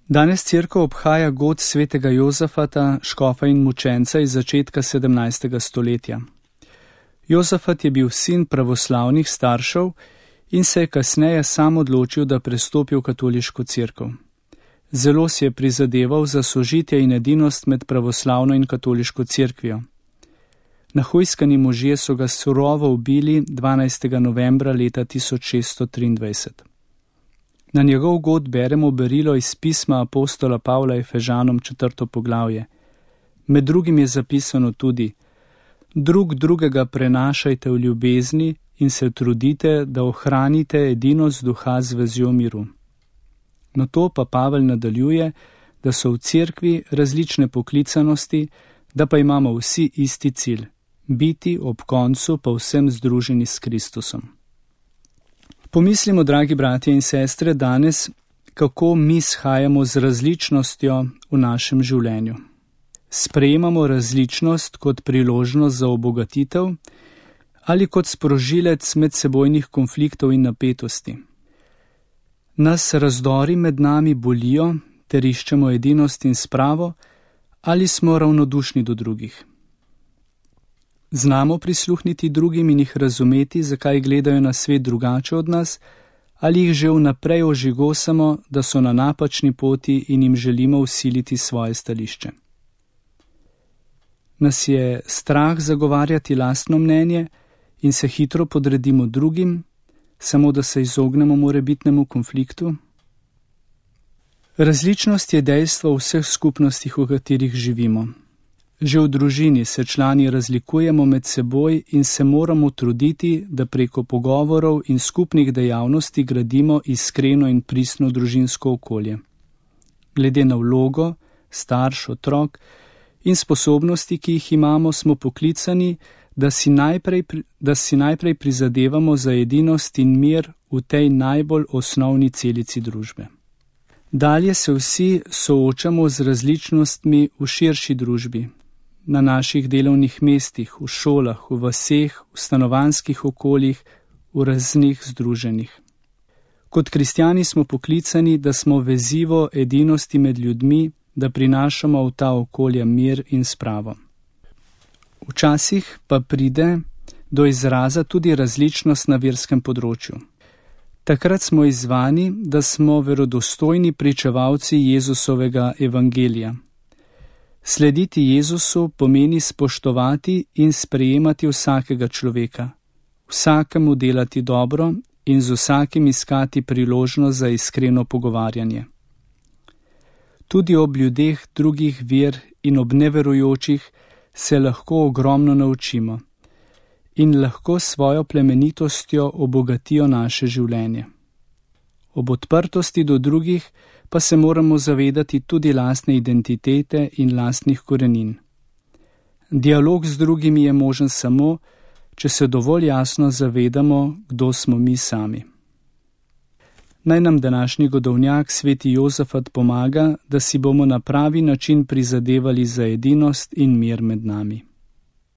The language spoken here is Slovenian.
Danes cerkev obhaja god svetega Jozafata, škofa in mučenca iz začetka 17. stoletja. Jozafat je bil sin pravoslavnih staršev in se je kasneje sam odločil, da prestopi v katoliško cerkev. Zelo si je prizadeval za sožitje in edinost med pravoslavno in katoliško cerkvijo. Nahujskani možje so ga surovo ubili 12. novembra leta 1623. Na njegov god beremo berilo iz pisma apostola Pavla Efežanom 4. poglavje. Med drugim je zapisano tudi: drug drugega prenašajte v ljubezni in se trudite, da ohranite edinost duha z vezjo miru. Na to pa Pavel nadaljuje, da so v cerkvi različne poklicanosti, da pa imamo vsi isti cilj: biti ob koncu povsem združeni s Kristusom. Pomislimo, dragi bratje in sestre, danes, kako mi shajamo z različnostjo v našem življenju. Sprejemamo različnost kot priložnost za obogatitev ali kot sprožilec medsebojnih konfliktov in napetosti. Nas razdori med nami bolijo ter iščemo edinost in spravo ali smo ravnodušni do drugih. Znamo prisluhniti drugim in jih razumeti, zakaj gledajo na svet drugače od nas, ali jih že vnaprej ožigosamo, da so na napačni poti in jim želimo vsiliti svoje stališče. Nas je strah zagovarjati lastno mnenje in se hitro podredimo drugim, samo da se izognemo morebitnemu konfliktu? Različnost je dejstvo v vseh skupnostih, v katerih živimo. Že v družini se člani razlikujemo med seboj in se moramo truditi, da preko pogovorov in skupnih dejavnosti gradimo iskreno in pristno družinsko okolje. Glede na vlogo, starš, otrok in sposobnosti, ki jih imamo, smo poklicani, da si najprej prizadevamo za edinost in mir v tej najbolj osnovni celici družbe. Dalje se vsi soočamo z različnostmi v širši družbi, na naših delovnih mestih, v šolah, v vaseh, v stanovanjskih okoljih, v raznih združenjih. Kot kristjani smo poklicani, da smo vezivo edinosti med ljudmi, da prinašamo v ta okolja mir in spravo. Včasih pa pride do izraza tudi različnost na verskem področju. Takrat smo izzvani, da smo verodostojni pričevalci Jezusovega evangelija. Slediti Jezusu pomeni spoštovati in sprejemati vsakega človeka, vsakemu delati dobro in z vsakim iskati priložnost za iskreno pogovarjanje. Tudi ob ljudeh drugih ver in ob neverujočih se lahko ogromno naučimo in lahko svojo plemenitostjo obogatijo naše življenje. Ob odprtosti do drugih pa se moramo zavedati tudi lastne identitete in lastnih korenin. Dialog z drugimi je možen samo, če se dovolj jasno zavedamo, kdo smo mi sami. Naj nam današnji godovnjak sveti Jozafat pomaga, da si bomo na pravi način prizadevali za edinost in mir med nami.